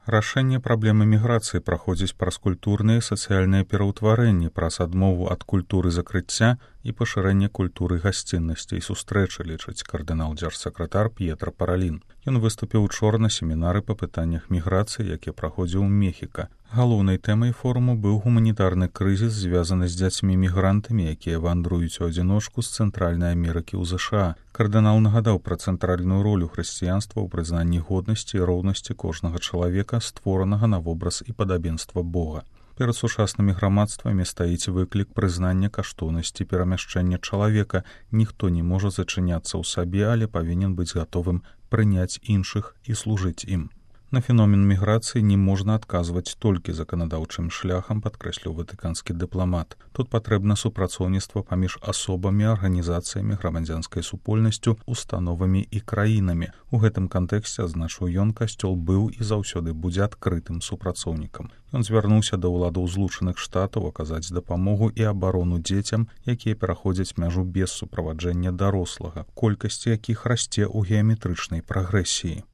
Рашэнне праблемы міграцыі праходзіць праз культурныя і сацыяльныя пераўтварэнні, праз адмову ад культуры закрыцця і пашырэнне культуры гасціннасці і сустрэчы, лічыць кардынал-дзяржсакратар П'етра Паралін. Ён выступіў учора на семінары па пытаннях міграцыі, які праходзіў у Мехіка. Галоўнай тэмай форуму быў гуманітарны крызіс, звязаны з дзяцьмі-мігрантамі, якія вандруюць у адзіночку з Цэнтральнай Амерыкі ў ЗША. Кардынал нагадаў пра цэнтральную ролю хрысціянства ў прызнанні годнасці і роўнасці кожнага чалавека, створанага на вобраз і падабенства Бога. Перад сучаснымі грамадствамі стаіць выклік прызнання каштоўнасці перамяшчэння чалавека. Ніхто не можа зачыняцца ў сабе, але павінен быць гатовым прыняць іншых і служыць ім. На феномен міграцыі не можна адказваць толькі заканадаўчым шляхам, падкрэсліў ватыканскі дыпламат. Тут патрэбна супрацоўніцтва паміж асобамі, арганізацыямі, грамадзянскай супольнасцю, установамі і краінамі. У гэтым кантэксце, адзначыў ён, касцёл быў і заўсёды будзе адкрытым супрацоўнікам. Ён звярнуўся да ўладаў Злучаных Штатаў аказаць дапамогу і абарону дзецям, якія пераходзяць мяжу без суправаджэння дарослага, колькасць якіх расце ў геаметрычнай прагрэсіі.